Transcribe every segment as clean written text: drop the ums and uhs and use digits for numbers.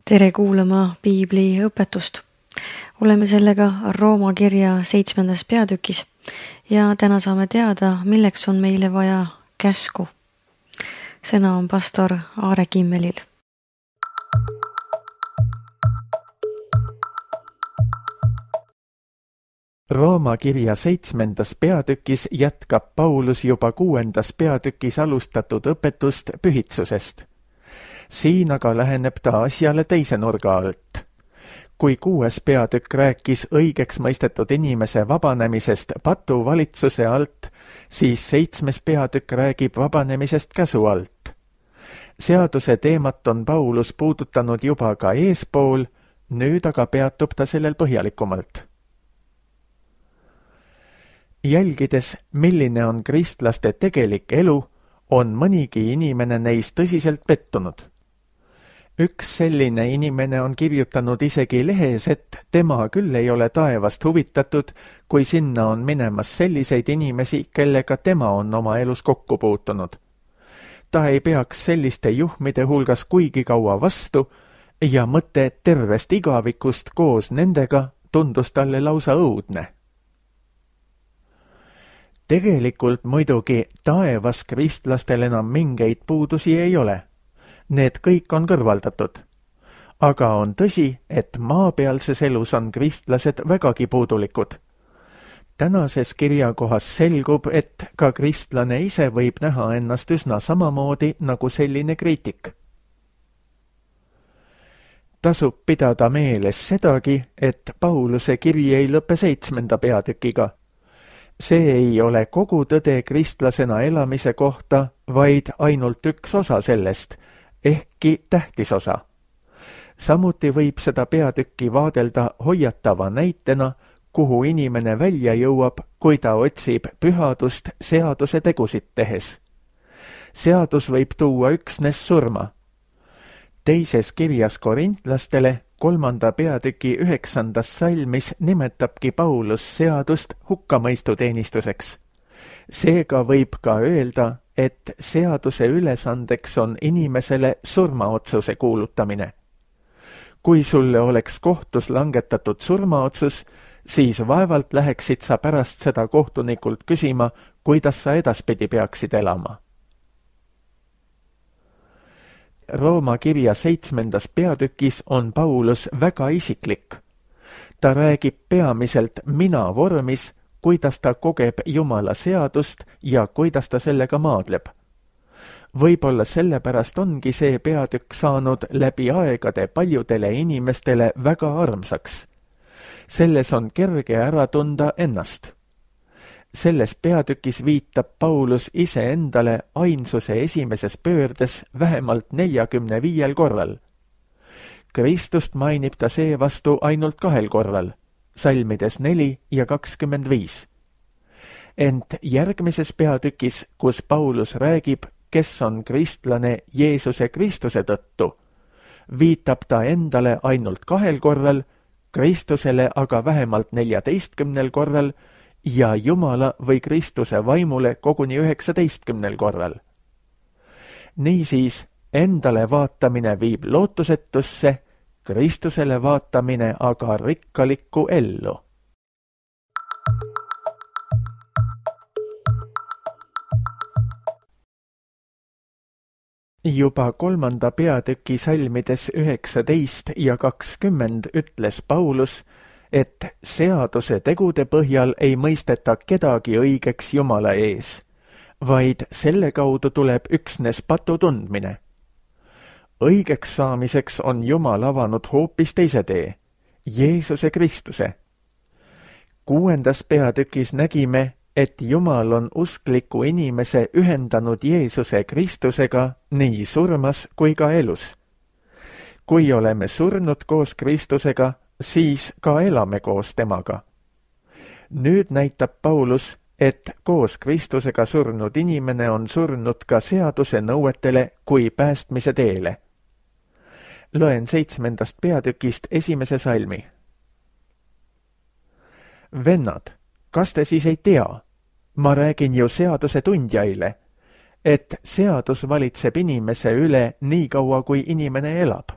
Tere kuulama piibli õpetust. Oleme sellega Rooma kirja 7. peatükis ja täna saame teada, milleks on meile vaja käsku. Sõna on pastor Aare Kimmelil. Rooma kirja 7. peatükis jätkab Paulus juba 6. peatükis alustatud õpetust pühitsusest. Siin aga läheneb ta asjale teise nurga alt. Kui 6. peatükk rääkis õigeks mõistetud inimese vabanemisest patuvalitsuse alt, siis 7. peatükk räägib vabanemisest käsu alt. Seaduse teemat on Paulus puudutanud juba ka eespool, nüüd aga peatub ta sellel põhjalikumalt. Jälgides, milline on kristlaste tegelik elu, on mõnigi inimene neist tõsiselt pettunud. Üks selline inimene on kirjutanud isegi lehes, et tema küll ei ole taevast huvitatud, kui sinna on minemas selliseid inimesi, kellega tema on oma elus kokku puutunud. Ta ei peaks selliste juhmide hulgas kuigi kaua vastu ja mõte tervest igavikust koos nendega tundus talle lausa õudne. Tegelikult muidugi taevas kristlastel enam mingeid puudusi ei ole. Need kõik on kõrvaldatud. Aga on tõsi, et maapealses elus on kristlased vägagi puudulikud. Tänases kirjakohas selgub, et ka kristlane ise võib näha ennast üsna samamoodi nagu selline kriitik. Tasub pidada meeles sedagi, et Pauluse kiri ei lõpe 7. peatükiga. See ei ole kogu tõde kristlasena elamise kohta, vaid ainult üks osa sellest, ehkki tähtis osa. Samuti võib seda peatükki vaadelda hoiatava näitena, kuhu inimene välja jõuab, kui ta otsib pühadust seaduse tegusid tehes. Seadus võib tuua üksnes surma. Teises kirjas korintlastele 3. peatüki 9. salmis nimetabki Paulus seadust hukkamõistuteenistuseks. Seega võib ka öelda, et seaduse ülesandeks on inimesele surmaotsuse kuulutamine. Kui sulle oleks kohtus langetatud surmaotsus, siis vaevalt läheksid sa pärast seda kohtunikult küsima, kuidas sa edaspidi peaksid elama. Rooma kirja 7. peatükis on Paulus väga isiklik. Ta räägib peamiselt mina vormis, kuidas ta kogeb Jumala seadust ja kuidas ta sellega maadleb. Võib-olla sellepärast ongi see peatükk saanud läbi aegade paljudele inimestele väga armsaks. Selles on kerge ära tunda ennast. Selles peatükis viitab Paulus iseendale ainsuse esimeses pöördes vähemalt 45 korral. Kristust mainib ta seevastu ainult 2 korral, salmides 4 ja 25. Ent järgmises peatükis, kus Paulus räägib, kes on kristlane Jeesuse Kristuse tõttu, viitab ta endale ainult 2 korral, Kristusele aga vähemalt 14 korral ja Jumala või Kristuse vaimule koguni 19 korral. Niisiis, endale vaatamine viib lootusetusse, Kristusele vaatamine aga rikkalikku ellu. Juba 3. peatüki salmides 19 ja 20 ütles Paulus, et seaduse tegude põhjal ei mõisteta kedagi õigeks Jumala ees, vaid selle kaudu tuleb üksnes patu tundmine. Õigeks saamiseks on Jumal avanud hoopis teise tee, Jeesuse Kristuse. 6. peatükis nägime, et Jumal on uskliku inimese ühendanud Jeesuse Kristusega nii surmas kui ka elus. Kui oleme surnud koos Kristusega, siis ka elame koos temaga. Nüüd näitab Paulus, et koos Kristusega surnud inimene on surnud ka seaduse nõuetele kui päästmise teele. Loen 7. peatükist 1. salmi. Vennad, kas te siis ei tea? Ma räägin ju seaduse tundjaile, et seadus valitseb inimese üle nii kaua, kui inimene elab.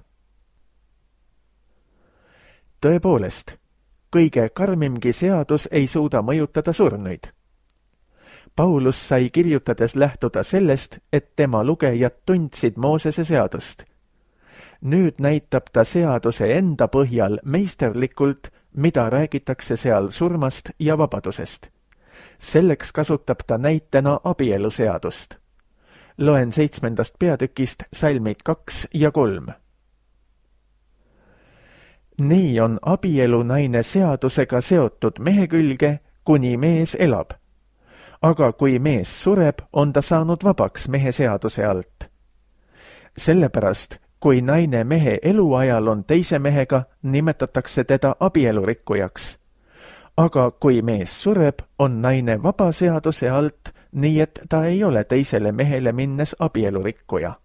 Tõepoolest, kõige karmimgi seadus ei suuda mõjutada surnuid. Paulus sai kirjutades lähtuda sellest, et tema lugejad tundsid Moosese seadust. Nüüd näitab ta seaduse enda põhjal meisterlikult, mida räägitakse seal surmast ja vabadusest. Selleks kasutab ta näitena abieluseadust. Loen 7. peatükist salmid 2 ja 3. Nii on abielu naine seadusega seotud mehe külge, kuni mees elab. Aga kui mees sureb, on ta saanud vabaks mehe seaduse alt. Sellepärast, kui naine mehe eluajal on teise mehega, nimetatakse teda abielurikkujaks. Aga kui mees sureb, on naine vaba seaduse alt, nii et ta ei ole teisele mehele minnes abielurikkuja.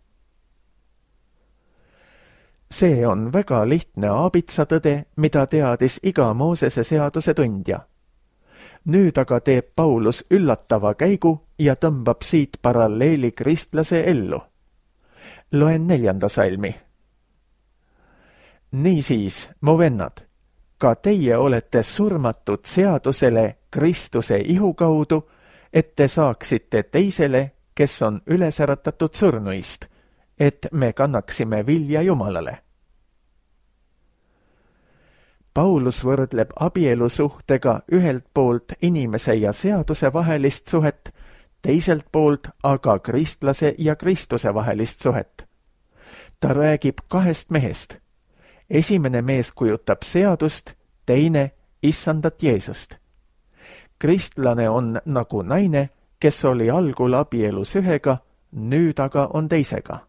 See on väga lihtne aabitsatõde, mida teadis iga Moosese seaduse tundja. Nüüd aga teeb Paulus üllatava käigu ja tõmbab siit paralleeli kristlase ellu. Loen 4. salmi. Niisiis, mu vennad, ka teie olete surmatud seadusele Kristuse ihu kaudu, et te saaksite teisele, kes on üles äratatud surnuist, et me kannaksime vilja Jumalale. Paulus võrdleb abielusuhtega ühelt poolt inimese ja seaduse vahelist suhet, teiselt poolt aga kristlase ja Kristuse vahelist suhet. Ta räägib 2 mehest. Esimene mees kujutab seadust, teine issandat Jeesust. Kristlane on nagu naine, kes oli algul abielus ühega, nüüd aga on teisega.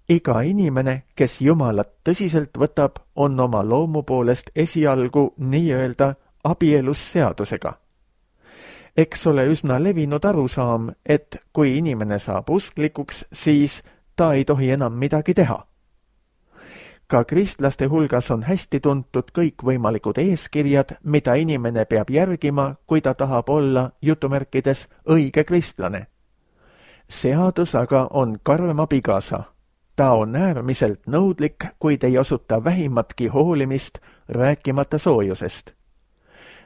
Iga inimene, kes Jumalat tõsiselt võtab, on oma loomu poolest esialgu nii-öelda abielus seadusega. Eks ole üsna levinud arusaam, et kui inimene saab usklikuks, siis ta ei tohi enam midagi teha. Ka kristlaste hulgas on hästi tuntud kõikvõimalikud eeskirjad, mida inimene peab järgima, kui ta tahab olla jutumärkides õige kristlane. Seadus aga on karm abikaasa. Ta on äärmiselt nõudlik, kuid ei osuta vähimatki hoolimist, rääkimata soojusest.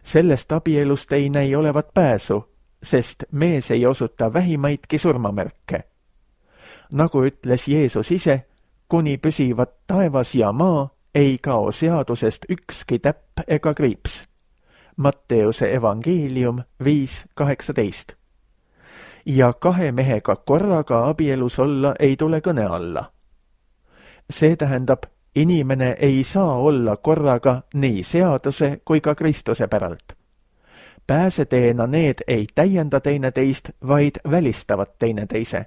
Sellest abielust ei näi olevat pääsu, sest mees ei osuta vähimaidki surmamärke. Nagu ütles Jeesus ise, kuni püsivad taevas ja maa, ei kao seadusest ükski täpp ega kriips. Matteuse evangeelium 5:18. Ja 2 mehega korraga abielus olla ei tule kõne alla. See tähendab, inimene ei saa olla korraga nii seaduse kui ka Kristuse päralt. Pääseteena need ei täienda teineteist, vaid välistavad teineteise.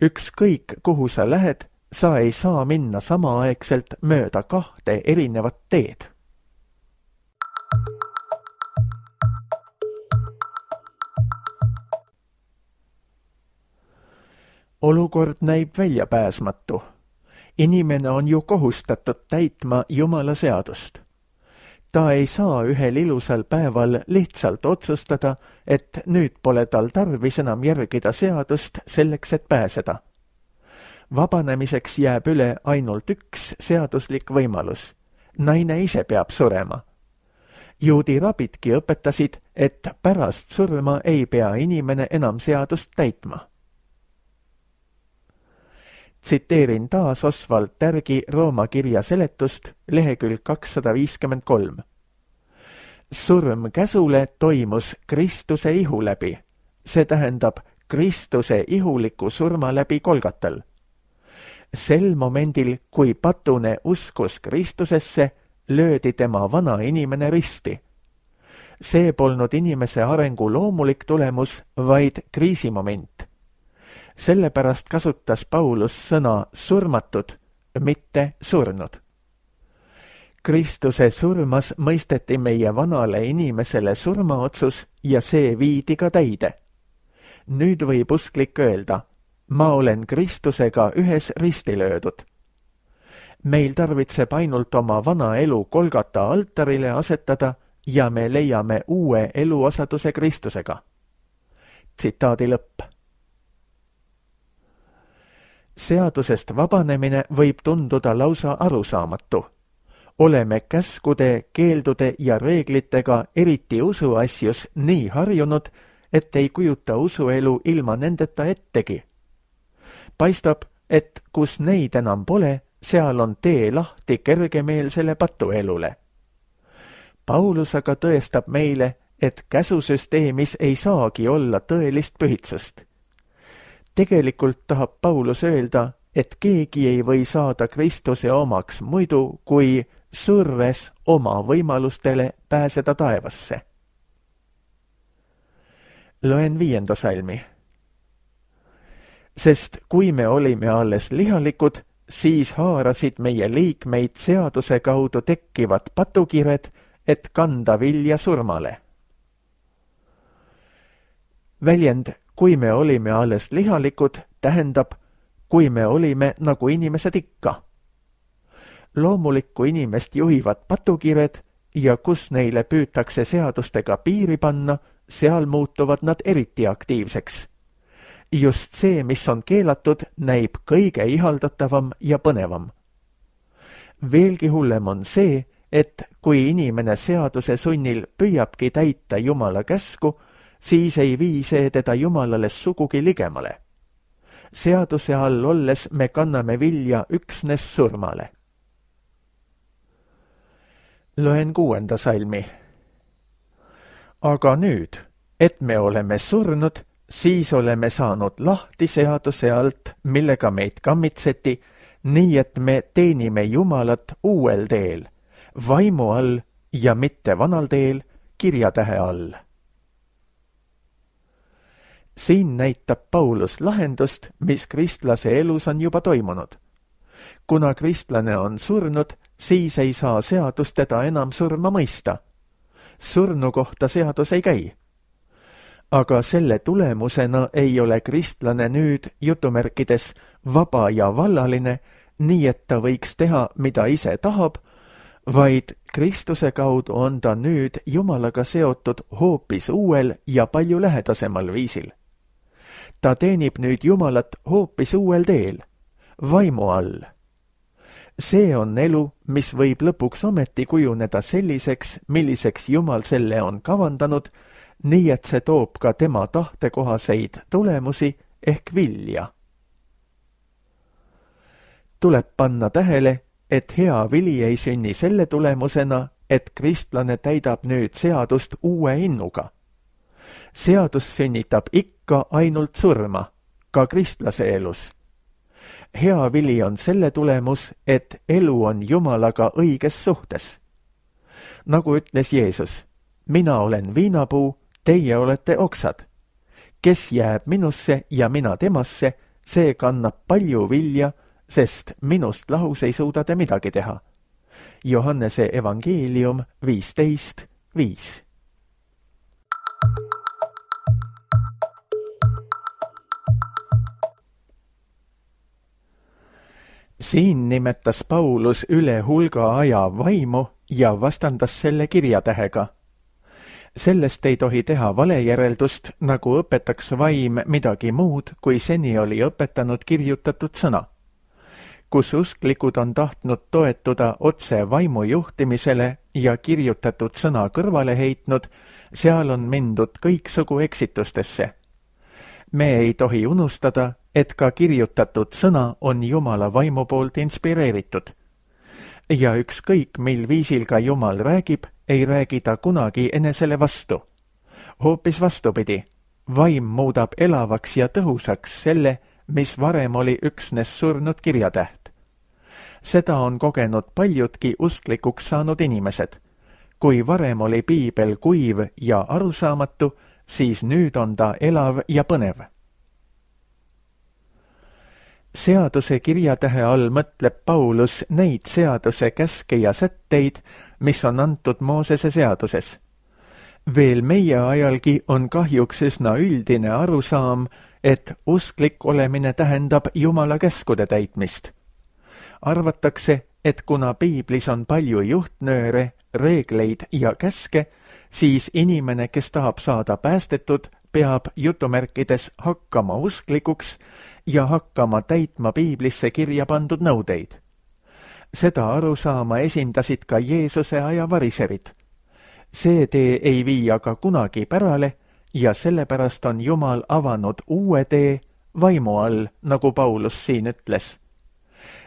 Ükskõik, kuhu sa lähed, sa ei saa minna samaaegselt mööda 2 erinevat teed. Olukord näib väljapääsmatu. Inimene on ju kohustatud täitma Jumala seadust. Ta ei saa ühel ilusal päeval lihtsalt otsustada, et nüüd pole tal tarvis enam järgida seadust selleks, et pääseda. Vabanemiseks jääb üle ainult üks seaduslik võimalus. Naine ise peab surema. Juudi rabidki õpetasid, et pärast surma ei pea inimene enam seadust täitma. Tsiteerin taas Oswald Tärgi Rooma kirja seletust, lehekülg 253. Surm käsule toimus Kristuse ihu läbi. See tähendab Kristuse ihuliku surma läbi Golgatal. Sel momendil, kui patune uskus Kristusesse, löödi tema vana inimene risti. See polnud inimese arengu loomulik tulemus, vaid kriisimoment. Sellepärast kasutas Paulus sõna surmatud, mitte surnud. Kristuse surmas mõisteti meie vanale inimesele surmaotsus ja see viidi ka täide. Nüüd võib usklik öelda, ma olen Kristusega ühes risti löödud. Meil tarvitseb ainult oma vana elu Golgata altarile asetada ja me leiame uue eluosaduse Kristusega. Tsitaadi lõpp. seadusest vabanemine võib tunduda lausa arusaamatu. Oleme käskude, keeldude ja reeglitega eriti usuasjus nii harjunud, et ei kujuta usuelu ilma nendeta ettegi. Paistab, et kus neid enam pole, seal on tee lahti kergemeelsele patuelule. Paulus aga tõestab meile, et käsusüsteemis ei saagi olla tõelist pühitsust. Tegelikult tahab Paulus öelda, et keegi ei või saada Kristuse omaks muidu, kui surves oma võimalustele pääseda taevasse. Loen 5. salmi. Sest kui me olime alles lihalikud, siis haarasid meie liikmeid seaduse kaudu tekkivad patukired, et kanda vilja surmale. Väljend, kui me olime alles lihalikud, tähendab, kui me olime nagu inimesed ikka. Loomulikku inimest juhivad patukired ja kus neile püütakse seadustega piiri panna, seal muutuvad nad eriti aktiivseks. Just see, mis on keelatud, näib kõige ihaldatavam ja põnevam. Veelgi hullem on see, et kui inimene seaduse sunnil püüabki täita Jumala käsku, siis ei vii see teda Jumalale sugugi ligemale. Seaduse all olles me kanname vilja üksnes surmale. Loen 6. salmi. Aga nüüd, et me oleme surnud, siis oleme saanud lahti seaduse alt, millega meid kammitseti, nii et me teenime Jumalat uuel teel, vaimu all ja mitte vanal teel, kirjatähe all. Siin näitab Paulus lahendust, mis kristlase elus on juba toimunud. Kuna kristlane on surnud, siis ei saa seadus teda enam surma mõista. Surnu kohta seadus ei käi. Aga selle tulemusena ei ole kristlane nüüd jutumärkides vaba ja vallaline, nii et ta võiks teha, mida ise tahab, vaid Kristuse kaudu on ta nüüd Jumalaga seotud hoopis uuel ja palju lähedasemal viisil. Ta teenib nüüd Jumalat hoopis uuel teel, vaimu all. See on elu, mis võib lõpuks ometi kujuneda selliseks, milliseks Jumal selle on kavandanud, nii et see toob ka tema tahtekohaseid tulemusi ehk vilja. Tuleb panna tähele, et hea vili ei sünni selle tulemusena, et kristlane täidab nüüd seadust uue innuga. Seadus sünnitab ikka ainult surma, ka kristlase elus. Hea vili on selle tulemus, et elu on Jumalaga õiges suhtes. Nagu ütles Jeesus, mina olen viinapuu, teie olete oksad. Kes jääb minusse ja mina temasse, see kannab palju vilja, sest minust lahus ei suuda te midagi teha. Johannese evangeelium 15:5. Siin nimetas Paulus üle hulga aja vaimu ja vastandas selle kirjatähega. Sellest ei tohi teha valejäreldust, nagu õpetaks vaim midagi muud, kui seni oli õpetanud kirjutatud sõna. Kus usklikud on tahtnud toetuda otse vaimu juhtimisele ja kirjutatud sõna kõrvale heitnud, seal on mindud kõiksugu eksitustesse. Me ei tohi unustada, et ka kirjutatud sõna on Jumala vaimu poolt inspireeritud. Ja ükskõik, mil viisil ka Jumal räägib, ei räägi ta kunagi enesele vastu. Hoopis vastupidi, vaim muudab elavaks ja tõhusaks selle, mis varem oli üksnes surnud kirjatäht. Seda on kogenud paljudki usklikuks saanud inimesed. Kui varem oli piibel kuiv ja arusaamatu, siis nüüd on ta elav ja põnev. Seaduse kirjatähe all mõtleb Paulus neid seaduse käske ja sätteid, mis on antud Moosese seaduses. Veel meie ajalgi on kahjuks üsna üldine arusaam, et usklik olemine tähendab Jumala käskude täitmist. Arvatakse, et kuna piiblis on palju juhtnööre, reegleid ja käske, siis inimene, kes tahab saada päästetud, peab jutumärkides hakkama usklikuks ja hakkama täitma piiblisse kirja pandud nõudeid. Seda arusaama esindasid ka Jeesuse aja variserid. See tee ei vii aga kunagi pärale ja sellepärast on Jumal avanud uue tee vaimu all, nagu Paulus siin ütles.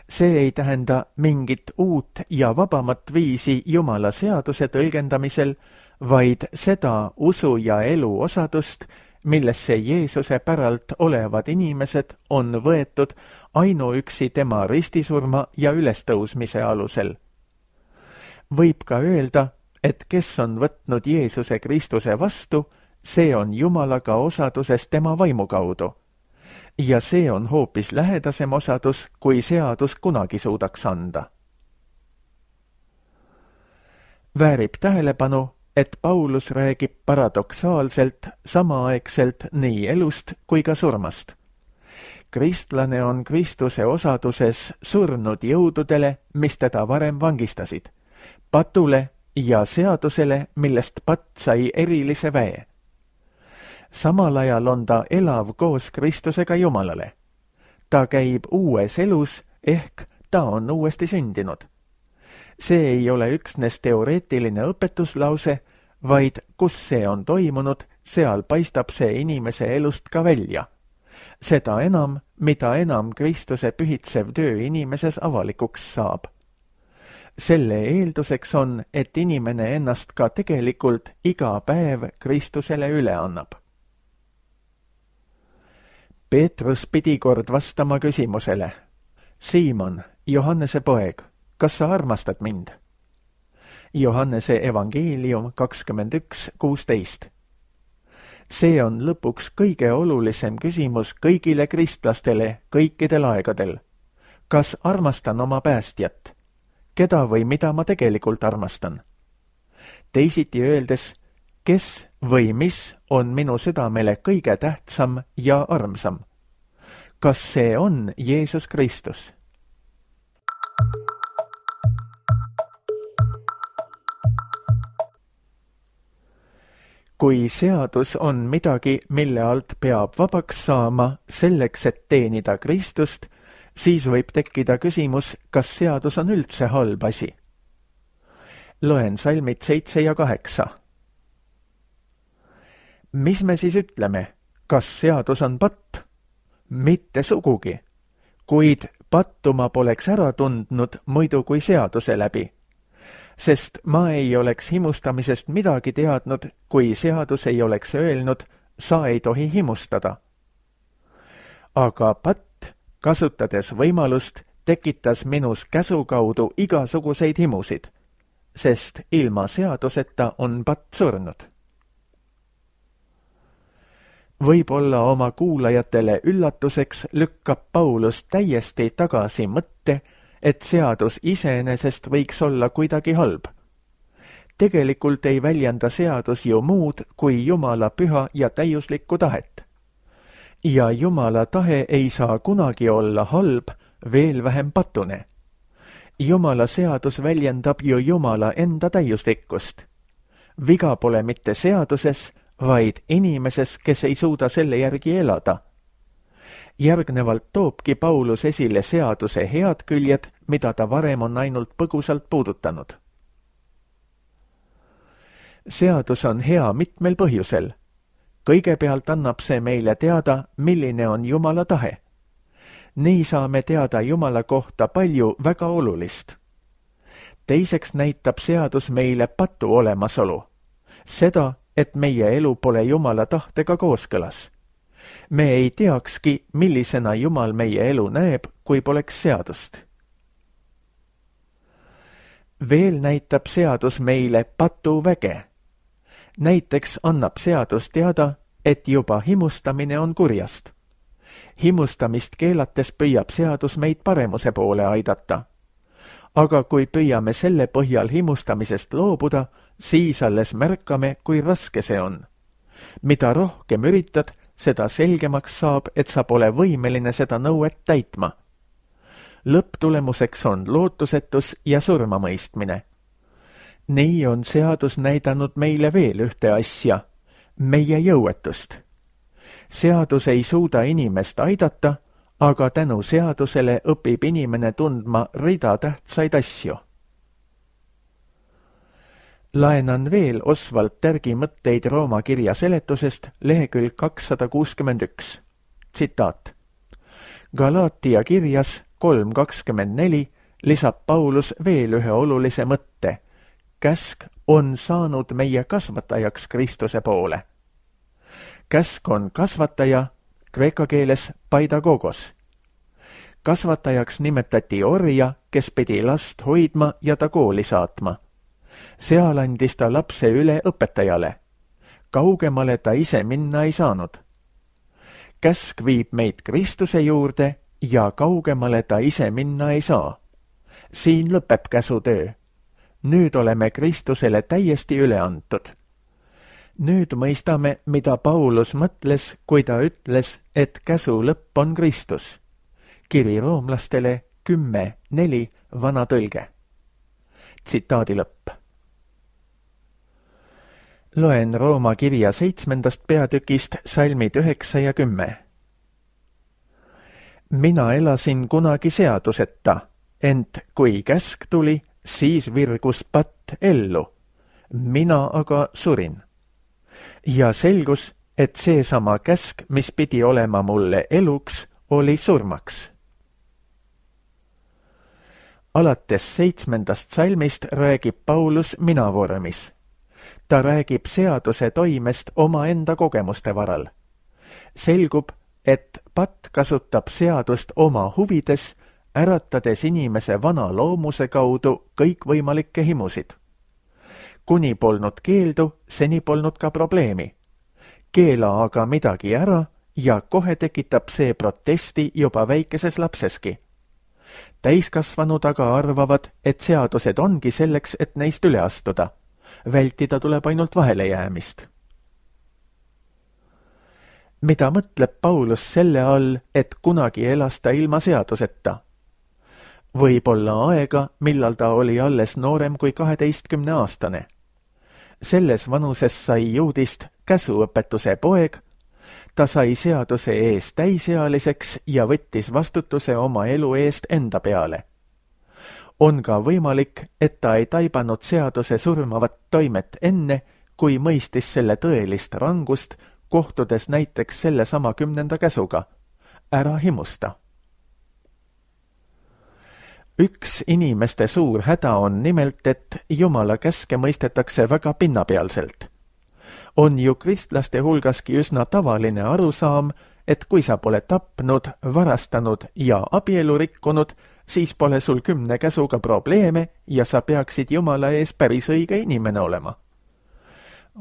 See ei tähenda mingit uut ja vabamat viisi Jumala seaduse tõlgendamisel, vaid seda usu ja elu osadust, millesse Jeesuse päralt olevad inimesed on võetud ainuüksi tema ristisurma ja ülestõusmise alusel. Võib ka öelda, et kes on võtnud Jeesuse Kristuse vastu, see on Jumalaga osaduses tema vaimu kaudu. Ja see on hoopis lähedasem osadus, kui seadus kunagi suudaks anda. Väärib tähelepanu, et Paulus räägib paradoksaalselt samaaegselt nii elust kui ka surmast. Kristlane on Kristuse osaduses surnud jõududele, mis teda varem vangistasid, patule ja seadusele, millest patt sai erilise väe. Samal ajal on ta elav koos Kristusega Jumalale. Ta käib uues elus, ehk ta on uuesti sündinud. See ei ole üksnes teoreetiline õpetuslause, vaid kus see on toimunud, seal paistab see inimese elust ka välja. Seda enam, mida enam Kristuse pühitsev töö inimeses avalikuks saab. Selle eelduseks on, et inimene ennast ka tegelikult iga päev Kristusele üle annab. Peetrus pidi kord vastama küsimusele: Siimon, Johannese poeg, kas sa armastad mind? Johannese evangeelium 21:16. See on lõpuks kõige olulisem küsimus kõigile kristlastele kõikidel aegadel. Kas armastan oma päästjat? Keda või mida ma tegelikult armastan? Teisiti öeldes, kes või mis on minu südamele kõige tähtsam ja armsam? Kas see on Jeesus Kristus? Kui seadus on midagi, mille alt peab vabaks saama selleks, et teenida Kristust, siis võib tekkida küsimus, kas seadus on üldse halb asi. Loen salmid 7 ja 8. Mis me siis ütleme? Kas seadus on patt? Mitte sugugi, kuid pattu ma poleks ära tundnud muidu kui seaduse läbi. Sest ma ei oleks himustamisest midagi teadnud, kui seadus ei oleks öelnud, sa ei tohi himustada. Aga patt, kasutades võimalust, tekitas minus käsu kaudu igasuguseid himusid, sest ilma seaduseta on patt surnud. Võib-olla oma kuulajatele üllatuseks lükkab Paulus täiesti tagasi mõtte, et seadus iseenesest võiks olla kuidagi halb. Tegelikult ei väljenda seadus ju muud kui Jumala püha ja täiuslikku tahet. Ja Jumala tahe ei saa kunagi olla halb, veel vähem patune. Jumala seadus väljendab ju Jumala enda täiuslikkust. Viga pole mitte seaduses, vaid inimeses, kes ei suuda selle järgi elada. Järgnevalt toobki Paulus esile seaduse head küljed, mida ta varem on ainult põgusalt puudutanud. Seadus on hea mitmel põhjusel. Kõigepealt annab see meile teada, milline on Jumala tahe. Nii saame teada Jumala kohta palju väga olulist. Teiseks näitab seadus meile patu olemasolu. Seda, et meie elu pole Jumala tahtega kooskõlas. Me ei teakski, millisena Jumal meie elu näeb, kui poleks seadust. Veel näitab seadus meile patu väge. Näiteks annab seadus teada, et juba himustamine on kurjast. Himustamist keelates püüab seadus meid paremuse poole aidata. Aga kui püüame selle põhjal himustamisest loobuda, siis alles märkame, kui raske see on. Mida rohkem üritad, seda selgemaks saab, et sa pole võimeline seda nõuet täitma. Lõpptulemuseks on lootusetus ja surmamõistmine. Nii on seadus näidanud meile veel ühte asja, meie jõuetust, Seadus ei suuda inimest aidata, aga tänu seadusele õpib inimene tundma rida tähtsaid asju. Laenan veel Oswald Tergi mõtteid Rooma kirja seletusest lehekülg 261. Tsitaat. Galaatia kirjas 3.24 lisab Paulus veel ühe olulise mõtte. Käsk on saanud meie kasvatajaks Kristuse poole. Käsk on kasvataja, kreeka keeles paidagogos. Kasvatajaks nimetati orja, kes pidi last hoidma ja ta kooli saatma. Seal andis ta lapse üle õpetajale. Kaugemale ta ise minna ei saanud. Käsk viib meid Kristuse juurde ja kaugemale ta ise minna ei saa. Siin lõpeb käsutöö. Nüüd oleme Kristusele täiesti üle antud. Nüüd mõistame, mida Paulus mõtles, kui ta ütles, et käsu lõpp on Kristus. Kiri roomlastele 10.4 vana tõlge. Tsitaadi lõpp. Loen Rooma kirja 7. peatükist salmid 9 ja 10. Mina elasin kunagi seaduseta, ent kui käsk tuli, siis virgus patt ellu. Mina aga surin. Ja selgus, et seesama käsk, mis pidi olema mulle eluks, oli surmaks. Alates 7. salmist räägib Paulus mina vormis. Ta räägib seaduse toimest omaenda kogemuste varal. Selgub, et patt kasutab seadust oma huvides, äratades inimese vana loomuse kaudu kõikvõimalikke himusid. Kuni polnud keeldu, seni polnud ka probleemi. Keela aga midagi ära ja kohe tekitab see protesti juba väikeses lapseski. Täiskasvanud aga arvavad, et seadused ongi selleks, et neist üle astuda. Vältida tuleb ainult vahelejäämist. Mida mõtleb Paulus selle all, et kunagi elas ta ilma seaduseta? Võib olla aega, millal ta oli alles noorem kui 12-aastane. Selles vanuses sai juudist käsuõpetuse poeg, ta sai seaduse ees täisealiseks ja võttis vastutuse oma elu eest enda peale. On ka võimalik, et ta ei taibanud seaduse surmavat toimet enne, kui mõistis selle tõelist rangust, kohtudes näiteks sellesama 10. käsuga. Ära himusta. Üks inimeste suur häda on nimelt, et Jumala käske mõistetakse väga pinnapealselt. On ju kristlaste hulgaski üsna tavaline arusaam, et kui sa pole tapnud, varastanud ja abielu rikkunud, siis pole sul 10 käsuga probleeme ja sa peaksid Jumala ees päris õige inimene olema.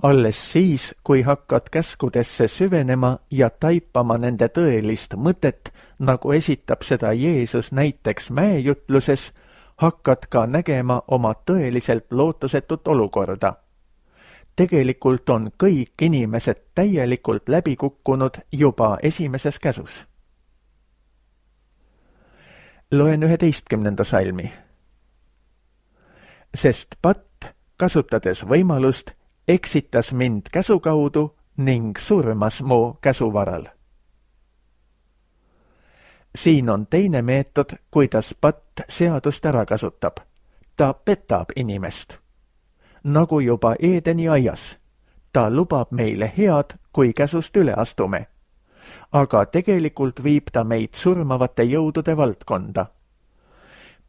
Alles siis, kui hakkad käskudesse süvenema ja taipama nende tõelist mõtet, nagu esitab seda Jeesus näiteks mäejutluses, hakkad ka nägema oma tõeliselt lootusetut olukorda. Tegelikult on kõik inimesed täielikult läbi kukkunud juba esimeses käsus. Loen 11. salmi. Sest patt, kasutades võimalust, eksitas mind käsu kaudu ning surmas mu käsuvaral. Siin on teine meetod, kuidas patt seadust ära kasutab. Ta petab inimest. Nagu juba Eedeni aias. Ta lubab meile head, kui käsust üle astume. Aga tegelikult viib ta meid surmavate jõudude valdkonda.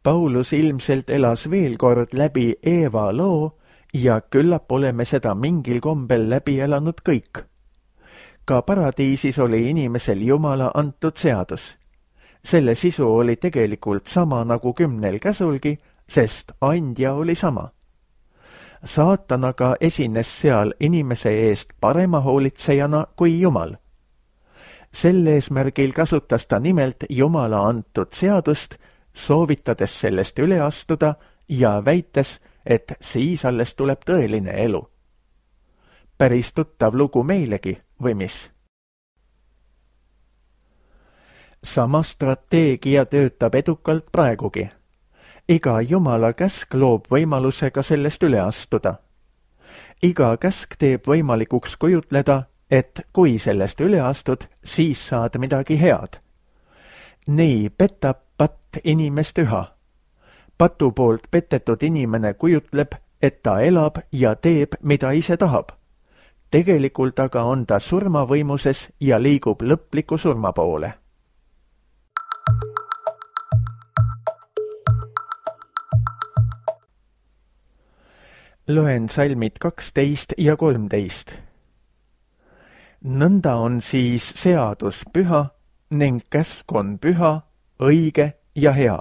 Paulus ilmselt elas veel kord läbi Eeva loo ja küllap oleme seda mingil kombel läbi elanud kõik. Ka paradiisis oli inimesel Jumala antud seadus. Selle sisu oli tegelikult sama nagu 10 käsulgi, sest andja oli sama. Saatan aga esines seal inimese eest parema hoolitsejana kui Jumal. Sel eesmärgil kasutas ta nimelt Jumala antud seadust, soovitades sellest üle astuda ja väites, et siis alles tuleb tõeline elu. Päris tuttav lugu meilegi, või mis? Sama strateegia töötab edukalt praegugi. Iga Jumala käsk loob võimaluse ka sellest üle astuda. Iga käsk teeb võimalikuks kujutleda, et kui sellest üle astud, siis saad midagi head. Nii petab patt inimest üha. Patu poolt petetud inimene kujutleb, et ta elab ja teeb, mida ise tahab. Tegelikult aga on ta surmavõimuses ja liigub lõpliku surma poole. Loen salmid 12 ja 13. Nõnda on siis seadus püha ning käsk on püha, õige ja hea.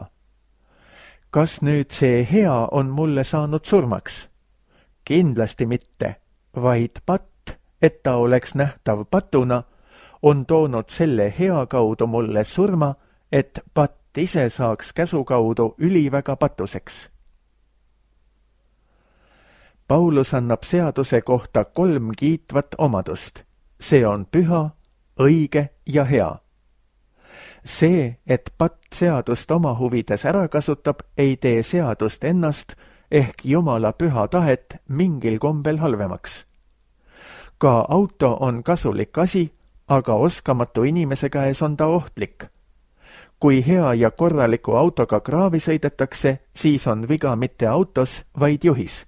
Kas nüüd see hea on mulle saanud surmaks? Kindlasti mitte, vaid patt, et ta oleks nähtav patuna, on toonud selle hea kaudu mulle surma, et patt ise saaks käsu kaudu üliväga patuseks. Paulus annab seaduse kohta 3 kiitvat omadust. See on püha, õige ja hea. See, et patt seadust oma huvides ära kasutab, ei tee seadust ennast ehk Jumala püha tahet mingil kombel halvemaks. Ka auto on kasulik asi, aga oskamatu inimese käes on ta ohtlik. Kui hea ja korraliku autoga kraavi sõidetakse, siis on viga mitte autos, vaid juhis.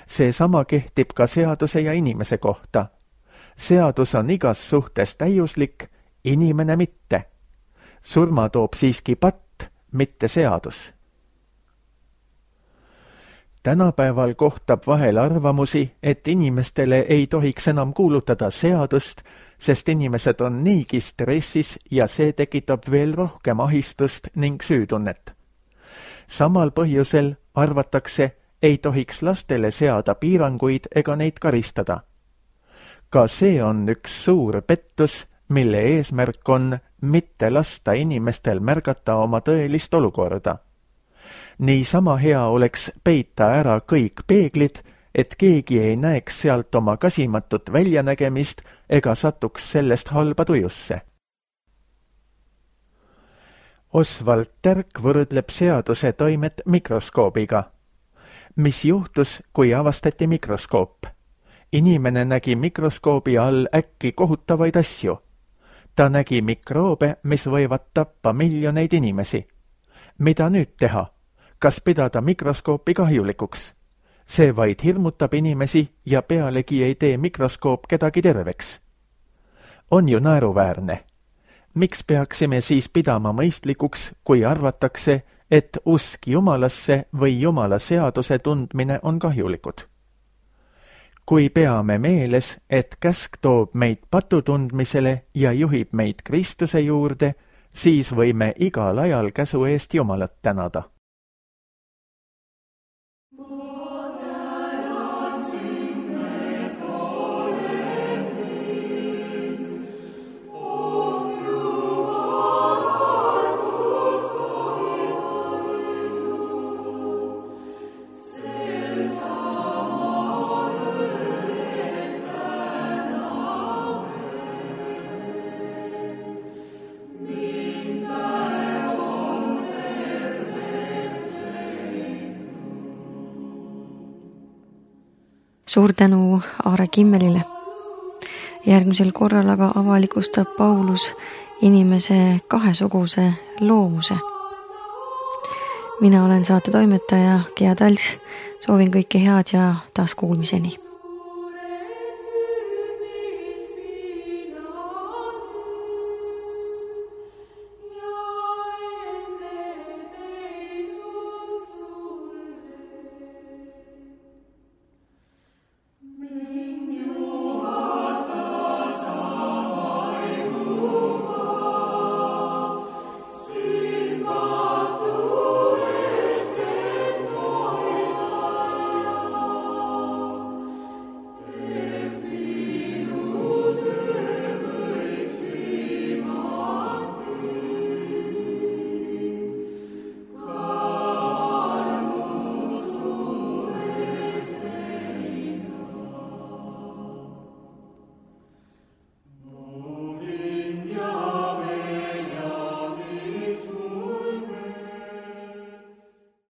See sama kehtib ka seaduse ja inimese kohta. Seadus on igas suhtes täiuslik, inimene mitte. Surma toob siiski patt, mitte seadus. Tänapäeval kohtab vahel arvamusi, et inimestele ei tohiks enam kuulutada seadust, sest inimesed on niigi stressis ja see tekitab veel rohkem ahistust ning süütunnet. Samal põhjusel arvatakse, ei tohiks lastele seada piiranguid ega neid karistada. Ka see on üks suur pettus, mille eesmärk on mitte lasta inimestel märgata oma tõelist olukorda. Niisama hea oleks peita ära kõik peeglid, et keegi ei näeks sealt oma kasimatut väljanägemist ega satuks sellest halba tujusse. Oswald Terk võrdleb seaduse toimet mikroskoobiga. Mis juhtus, kui avastati mikroskoop? Inimene nägi mikroskoobi all äkki kohutavaid asju. Ta nägi mikroobe, mis võivad tappa miljoneid inimesi. Mida nüüd teha? Kas pidada mikroskoopi kahjulikuks? See vaid hirmutab inimesi ja pealegi ei tee mikroskoop kedagi terveks. On ju naeruväärne. Miks peaksime siis pidama mõistlikuks, kui arvatakse, et usk Jumalasse või Jumala seaduse tundmine on kahjulikud? Kui peame meeles, et käsk toob meid patu tundmisele ja juhib meid Kristuse juurde, siis võime igal ajal käsu eest Jumalat tänada. Suur tänu Aare Kimmelile. Järgmisel korral aga avalikustab Paulus inimese kahesuguse loomuse. Mina olen saate toimetaja Gea Tals. Soovin kõike head ja taas kuulmiseni.